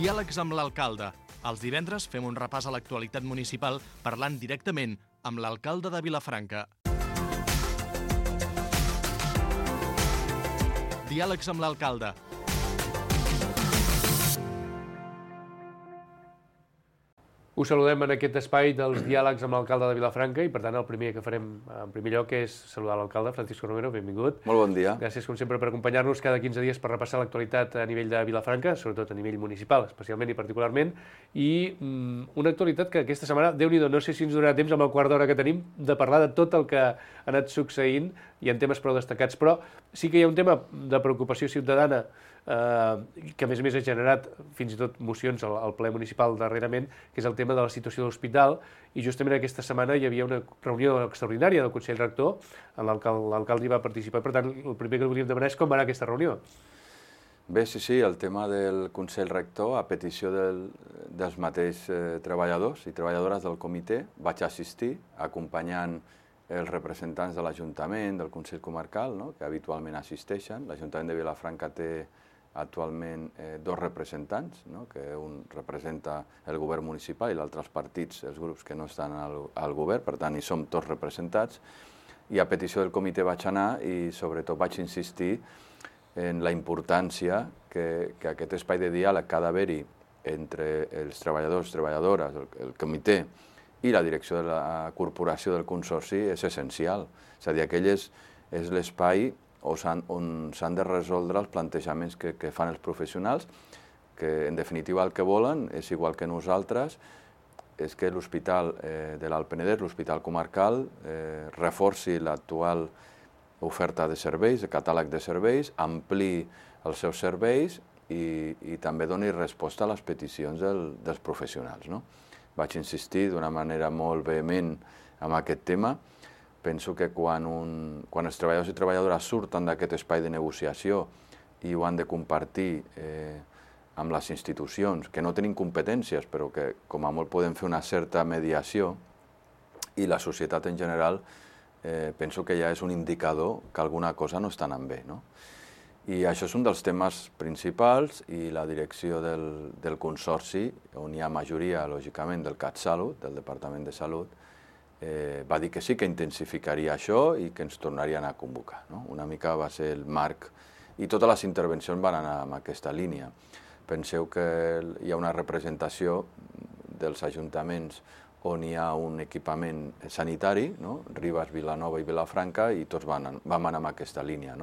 Diàlegs amb l'alcalde. Els divendres fem un repàs a l'actualitat municipal parlant directament amb l'alcalde de Vilafranca. Diàlegs amb l'alcalde. Us saludem en aquest espai dels diàlegs amb l'alcalde de Vilafranca i, per tant, el primer que farem en primer lloc és saludar l'alcalde, Francisco Romero, benvingut. Molt bon dia. Gràcies, com sempre, per acompanyar-nos cada 15 dies per repassar l'actualitat a nivell de Vilafranca, sobretot a nivell municipal, especialment i particularment, i una actualitat que aquesta setmana, Déu-n'hi-do, no sé si ens donarà temps amb el quart d'hora que tenim de parlar de tot el que ha anat succeint i en temes prou destacats, però sí que hi ha un tema de preocupació ciutadana que a més ha generat fins i tot mocions al ple municipal darrerament, que és el tema de la situació de l'hospital, i justament aquesta setmana hi havia una reunió extraordinària del Consell Rector, en l'alcalde hi va participar, per tant el primer que volíem demanar és com va anar aquesta reunió. Bé, sí, el tema del Consell Rector, a petició dels mateixos treballadors i treballadores del comitè, vaig assistir acompanyant els representants de l'Ajuntament, del Consell Comarcal, que habitualment assisteixen. L'Ajuntament de Vilafranca té actualment dos representants, que un representa el govern municipal i l'altre els partits, els grups que no estan al govern, per tant hi som tots representats, i a petició del comitè vaig anar i sobretot vaig insistir en la importància que aquest espai de diàleg que ha d'haver-hi entre els treballadors, treballadores, el comitè i la direcció de la corporació del consorci és essencial. És a dir, aquell és l'espai on s'han de resoldre els plantejaments que fan els professionals, que en definitiva el que volen és igual que nosaltres, és que l'Hospital de l'Alt Penedès, l'Hospital Comarcal, reforci l'actual oferta de serveis, el catàleg de serveis, ampliï els seus serveis i també doni resposta a les peticions dels professionals. Vaig insistir d'una manera molt vehement en aquest tema. Penso que quan els treballadors i treballadores surten d'aquest espai de negociació i ho han de compartir amb les institucions, que no tenim competències, però que com a molt podem fer una certa mediació, i la societat en general, penso que ja és un indicador que alguna cosa no està anant bé. I això és un dels temes principals, i la direcció del consorci, on hi ha majoria, lògicament, del CatSalut, del Departament de Salut, va dir que sí que intensificaria això i que ens tornarien a convocar. Una mica va ser el marc, i totes les intervencions van anar en aquesta línia. Penseu que hi ha una representació dels ajuntaments on hi ha un equipament sanitari, Ribes, Vilanova i Vilafranca, i tots vam anar en aquesta línia.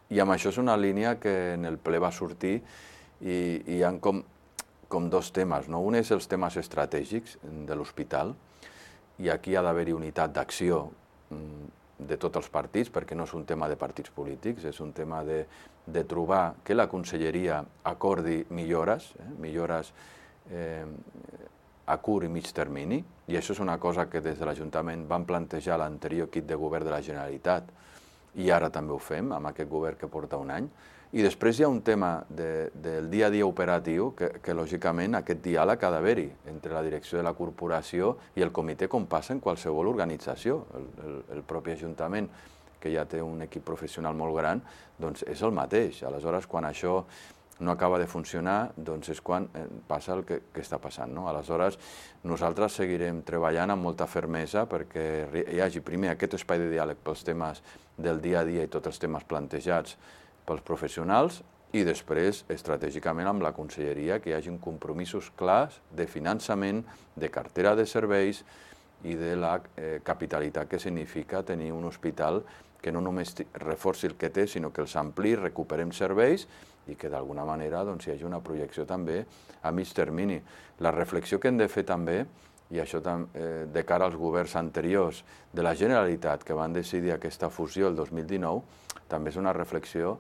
I amb això és una línia que en el ple va sortir i hi ha com dos temes. Un és els temes estratègics de l'hospital, i aquí ha d'haver-hi unitat d'acció de tots els partits, perquè no és un tema de partits polítics, és un tema de trobar que la conselleria acordi millores a curt i mig termini, i això és una cosa que des de l'Ajuntament vam plantejar l'anterior equip de govern de la Generalitat, i ara també ho fem, amb aquest govern que porta un any. I després hi ha un tema del dia a dia operatiu que lògicament aquest diàleg ha d'haver-hi entre la direcció de la corporació i el comitè, com passa en qualsevol organització. El propi Ajuntament, que ja té un equip professional molt gran, doncs és el mateix. Aleshores, quan això no acaba de funcionar, doncs és quan passa el que està passant. Aleshores, nosaltres seguirem treballant amb molta fermesa perquè hi hagi primer aquest espai de diàleg pels temes del dia a dia i tots els temes plantejats pels professionals, i després, estratègicament, amb la conselleria, que hi hagi compromisos clars de finançament, de cartera de serveis i de la capitalitat que significa tenir un hospital que no només reforci el que té, sinó que els ampliï, recuperem serveis i que d'alguna manera hi hagi una projecció també a mig termini. La reflexió que hem de fer també, i això de cara als governs anteriors de la Generalitat que van decidir aquesta fusió el 2019, també és una reflexió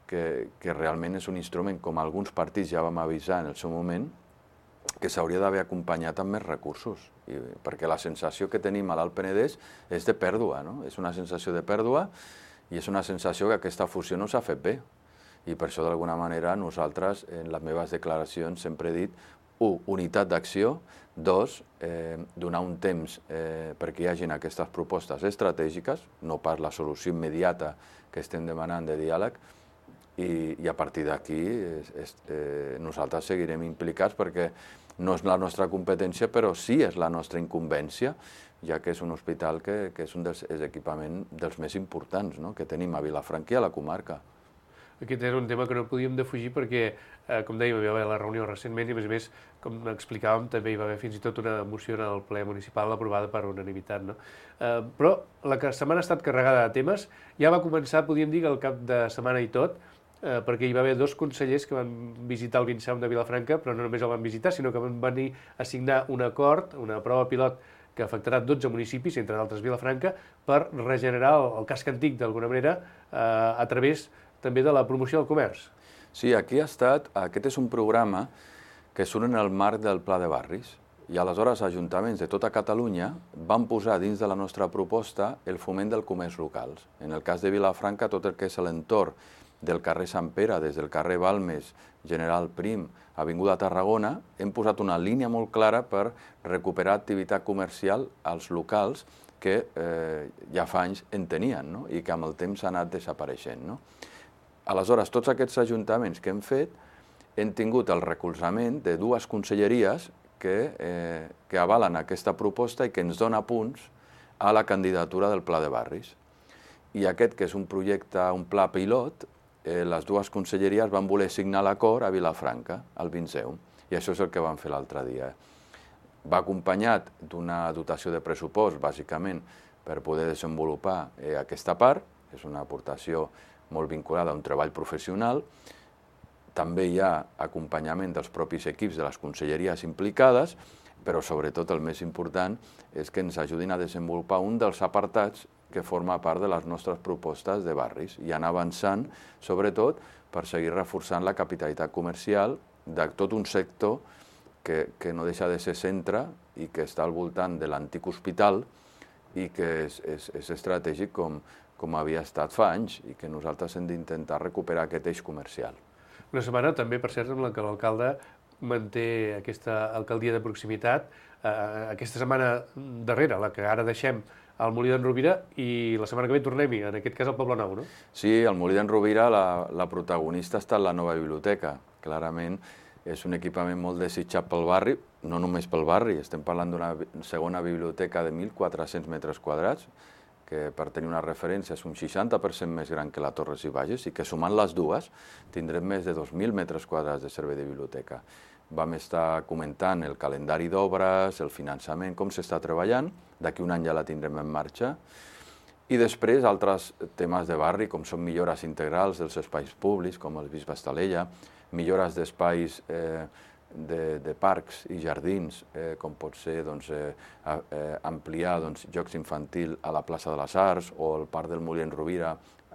que realment és un instrument, com alguns partits ja vam avisar en el seu moment, que s'hauria d'haver acompanyat amb més recursos, perquè la sensació que tenim a l'Alt Penedès és de pèrdua, és una sensació de pèrdua i és una sensació que aquesta fusió no s'ha fet bé. I per això, d'alguna manera, nosaltres, en les meves declaracions, sempre he dit, 1, unitat d'acció, 2, donar un temps perquè hi hagin aquestes propostes estratègiques, no pas la solució immediata que estem demanant de diàleg, i a partir d'aquí nosaltres seguirem implicats perquè no és la nostra competència, però sí és la nostra incumbència, ja que és un hospital que és un dels equipaments dels més importants que tenim a Vilafranca i a la comarca. Aquest era un tema que no podíem defugir perquè, com dèiem, hi va haver la reunió recentment i, a més, com explicàvem, també hi va haver fins i tot una moció en el ple municipal aprovada per unanimitat. Però la setmana ha estat carregada de temes. Ja va començar, podríem dir, el cap de setmana i tot, perquè hi va haver 2 consellers que van visitar el Vinsaum de Vilafranca, però no només el van visitar, sinó que van venir a signar un acord, una prova pilot que afectarà 12 municipis, entre d'altres Vilafranca, per regenerar el casc antic, d'alguna manera, a través també de la promoció del comerç. Sí, aquest és un programa que surt en el marc del Pla de Barris, i aleshores ajuntaments de tota Catalunya van posar dins de la nostra proposta el foment del comerç locals. En el cas de Vilafranca, tot el que és l'entorn del carrer Sant Pere, des del carrer Balmes, General Prim, Avinguda Tarragona, hem posat una línia molt clara per recuperar activitat comercial als locals que ja fa anys en tenien i que amb el temps ha anat desapareixent. Aleshores, tots aquests ajuntaments que hem fet hem tingut el recolzament de 2 conselleries que avalen aquesta proposta i que ens dona punts a la candidatura del Pla de Barris. I aquest, que és un projecte, un pla pilot, les 2 conselleries van voler signar l'acord a Vilafranca, al Vinsaum, i això és el que van fer l'altre dia. Va acompanyat d'una dotació de pressupost, bàsicament, per poder desenvolupar aquesta part, és una aportació molt vinculada a un treball professional. També hi ha acompanyament dels propis equips de les conselleries implicades, però sobretot el més important és que ens ajudin a desenvolupar un dels apartats que forma part de les nostres propostes de barris i anar avançant, sobretot, per seguir reforçant la capitalitat comercial de tot un sector que no deixa de ser centre i que està al voltant de l'antic hospital i que és estratègic com havia estat fa anys i que nosaltres hem d'intentar recuperar aquest eix comercial. Una setmana també, per cert, en la que l'alcalde manté aquesta alcaldia de proximitat. Aquesta setmana darrera, la que ara deixem al Molí d'en Rovira, i la setmana que ve tornem-hi, en aquest cas al Poble Nou, no? Sí, al Molí d'en Rovira la protagonista ha estat la nova biblioteca. Clarament és un equipament molt desitjat pel barri, no només pel barri, estem parlant d'una segona biblioteca de 1.400 metres quadrats, que per tenir una referència és un 60% més gran que la Torres i Bages i que sumant les dues tindrem més de 2.000 metres quadrats de servei de biblioteca. Vam estar comentant el calendari d'obres, el finançament, com s'està treballant, d'aquí un any ja la tindrem en marxa, i després altres temes de barri, com són millores integrals dels espais públics, com el Bisbe Estalella, millores d'espais de parcs i jardins, com pot ser ampliar jocs infantils a la plaça de les Arts o el Parc del Molí d'en Rovira,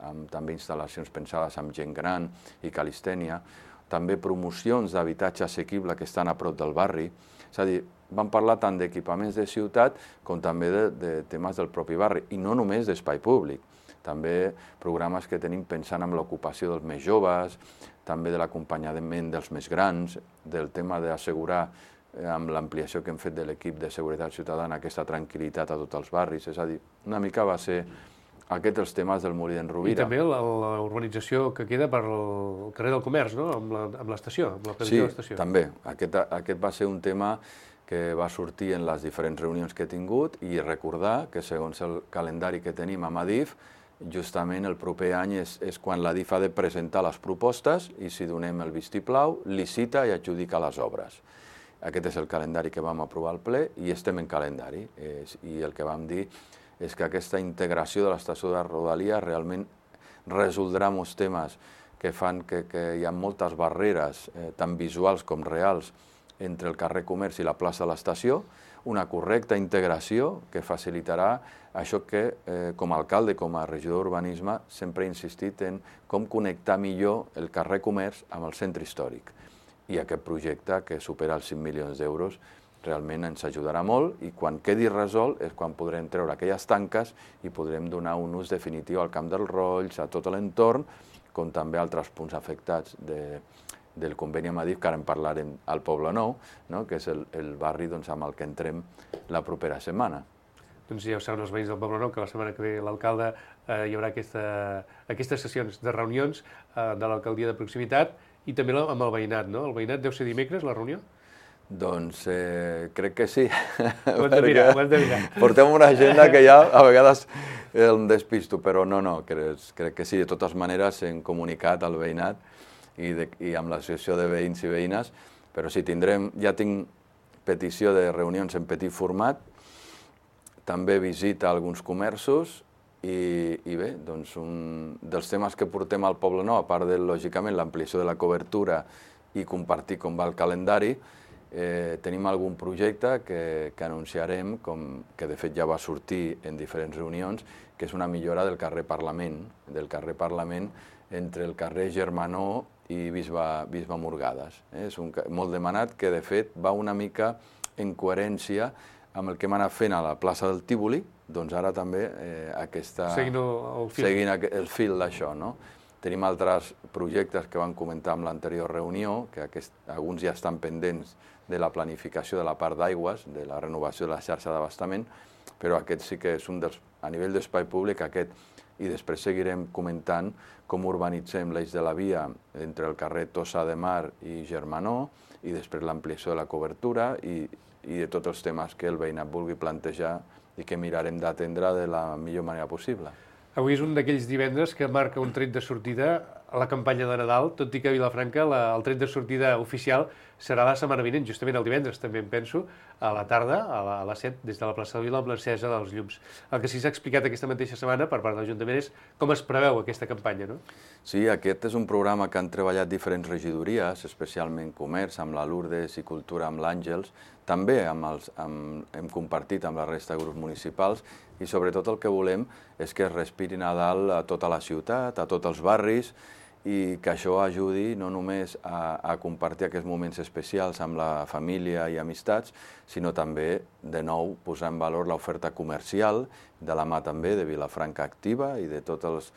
amb també instal·lacions pensades amb gent gran i calistènia, també promocions d'habitatge assequible que estan a prop del barri. És a dir, vam parlar tant d'equipaments de ciutat com també de temes del propi barri, i no només d'espai públic. També programes que tenim pensant en l'ocupació dels més joves, també de l'acompanyament dels més grans, del tema d'assegurar amb l'ampliació que hem fet de l'equip de seguretat ciutadana aquesta tranquil·litat a tots els barris. És a dir, una mica va ser aquests els temes del Molí d'en Rovira. I també la urbanització que queda per el carrer del Comerç, no? Amb l'estació, amb la previsió de l'estació. Sí, també. Aquest va ser un tema que va sortir en les diferents reunions que he tingut i recordar que segons el calendari que tenim a Adif, justament el proper any és quan l'Adif ha de presentar les propostes i si donem el vistiplau, licita i adjudica les obres. Aquest és el calendari que vam aprovar al ple i estem en calendari. I el que vam dir és que aquesta integració de l'estació de Rodalies realment resoldrà molts temes que fan que hi ha moltes barreres, tant visuals com reals, entre el carrer Comerç i la plaça de l'estació, una correcta integració que facilitarà això que, com a alcalde, com a regidor d'urbanisme, sempre he insistit en com connectar millor el carrer Comerç amb el centre històric. I aquest projecte, que supera els 5 milions d'euros, realment ens ajudarà molt i quan quedi resolt és quan podrem treure aquelles tanques i podrem donar un ús definitiu al Camp dels Rolls, a tot l'entorn, com també altres punts afectats del conveni amb Adif, que ara en parlarem al Poble Nou, que és el barri amb el que entrem la propera setmana. doncs ja ho saben els veïns del Poblenou, que la setmana que ve l'alcalde hi haurà aquestes sessions de reunions de l'alcaldia de proximitat i també amb el veïnat, no? El veïnat deu ser dimecres, la reunió? Doncs crec que sí. Ho hem de mirar, ho hem de mirar. Portem una agenda que ja a vegades em despisto, però no, crec que sí. De totes maneres hem comunicat al veïnat i amb l'associació de veïns i veïnes, però sí, ja tinc petició de reunions en petit format, també visita a alguns comerços i bé, doncs un dels temes que portem al Poblenou, a part de, lògicament, l'ampliació de la cobertura i compartir com va el calendari, tenim algun projecte que anunciarem, que de fet ja va sortir en diferents reunions, que és una millora del carrer Parlament entre el carrer Germanó i Bisbe Murgades. És molt demanat, que de fet va una mica en coherència amb el que hem anat fent a la plaça del Tívoli, doncs ara també seguint el fil d'això. Tenim altres projectes que vam comentar en l'anterior reunió, que alguns ja estan pendents de la planificació de la part d'aigües, de la renovació de la xarxa d'abastament, però aquest sí que és un dels, a nivell d'espai públic, i després seguirem comentant com urbanitzem l'eix de la via entre el carrer Tossa de Mar i Germanó, i després l'ampliació de la cobertura i de tots els temes que el veïnat vulgui plantejar i que mirarem d'atendre de la millor manera possible. Avui és un d'aquells divendres que marca un tret de sortida a la campanya de Nadal, tot i que a Vilafranca el tret de sortida oficial serà la setmana vinent, justament el divendres, també em penso, a la tarda, a les 7, des de la plaça de Vila, amb l'encesa dels llums. El que sí s'ha explicat aquesta mateixa setmana per part de l'Ajuntament és com es preveu aquesta campanya, no? Sí, aquest és un programa que han treballat diferents regidories, especialment Comerç, amb la Lourdes, i Cultura amb l'Àngels, també hem compartit amb la resta de grups municipals, i sobretot el que volem és que es respiri Nadal a tota la ciutat, a tots els barris, i que això ajudi no només a compartir aquests moments especials amb la família i amistats, sinó també, de nou, posar en valor l'oferta comercial, de la mà també de Vilafranca Activa i de totes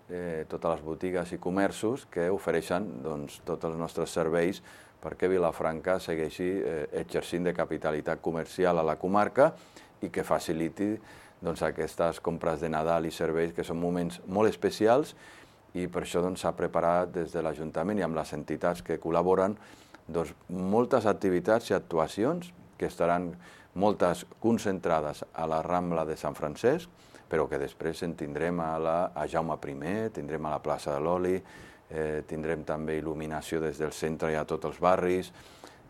les botigues i comerços que ofereixen tots els nostres serveis perquè Vilafranca segueixi exercint de capitalitat comercial a la comarca i que faciliti aquestes compres de Nadal i serveis, que són moments molt especials, i per això s'ha preparat des de l'Ajuntament i amb les entitats que col·laboren moltes activitats i actuacions que estaran moltes concentrades a la Rambla de Sant Francesc, però que després en tindrem a Jaume I, tindrem a la plaça de l'Oli, tindrem també il·luminació des del centre i a tots els barris,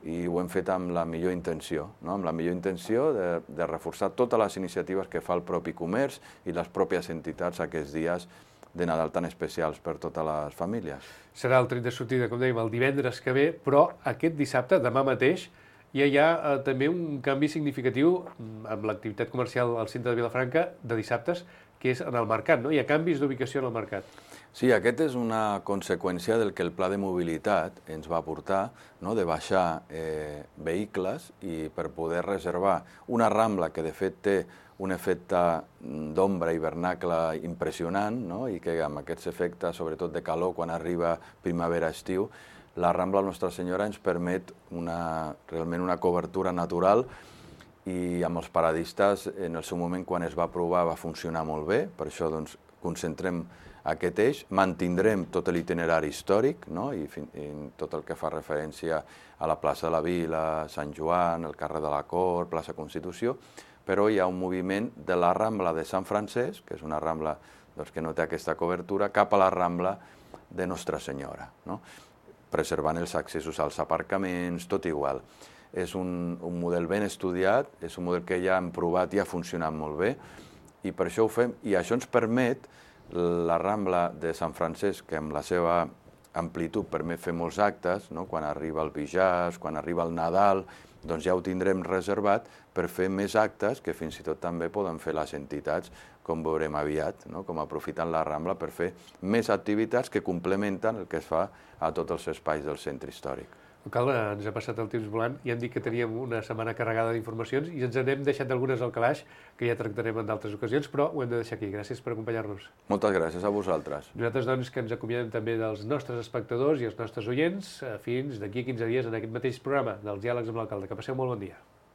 i ho hem fet amb la millor intenció, amb la millor intenció de reforçar totes les iniciatives que fa el propi comerç i les pròpies entitats aquests dies de Nadal tan especials per totes les famílies. Serà el tret de sortida, com dèiem, el divendres que ve, però aquest dissabte, demà mateix, ja hi ha també un canvi significatiu amb l'activitat comercial al centre de Vilafranca de dissabtes, que és en el mercat, no? Hi ha canvis d'ubicació en el mercat. Sí, aquest és una conseqüència del que el pla de mobilitat ens va portar, de baixar vehicles i per poder reservar una Rambla que de fet té un efecte d'ombra hivernacle impressionant, i que amb aquests efectes, sobretot de calor, quan arriba primavera-estiu, la Rambla Nostra Senyora ens permet realment una cobertura natural, i amb els paradistes, en el seu moment, quan es va provar, va funcionar molt bé. Per això concentrem aquest eix, mantindrem tot l'itinerari històric, i tot el que fa referència a la plaça de la Vila, Sant Joan, el carrer de la Cort, plaça Constitució, però hi ha un moviment de la Rambla de Sant Francesc, que és una Rambla que no té aquesta cobertura, cap a la Rambla de Nostra Senyora, preservant els accessos als aparcaments, tot igual. És un model ben estudiat, és un model que ja hem provat i ha funcionat molt bé, i per això ho fem, i això ens permet la Rambla de Sant Francesc, que amb la seva amplitud permet fer molts actes, quan arriba el Bijàs, quan arriba el Nadal, doncs ja ho tindrem reservat per fer més actes que fins i tot també poden fer les entitats, com veurem aviat, com aprofitant la Rambla per fer més activitats que complementen el que es fa a tots els espais del centre històric. Alcalde, ens ha passat el temps volant i hem dit que teníem una setmana carregada d'informacions i ens n'hem deixat d'algunes al calaix que ja tractarem en d'altres ocasions, però ho hem de deixar aquí. Gràcies per acompanyar-nos. Moltes gràcies a vosaltres. Nosaltres, doncs, que ens acomiadem també dels nostres espectadors i els nostres oients fins d'aquí a 15 dies en aquest mateix programa dels Diàlegs amb l'Alcalde. Que passeu molt bon dia.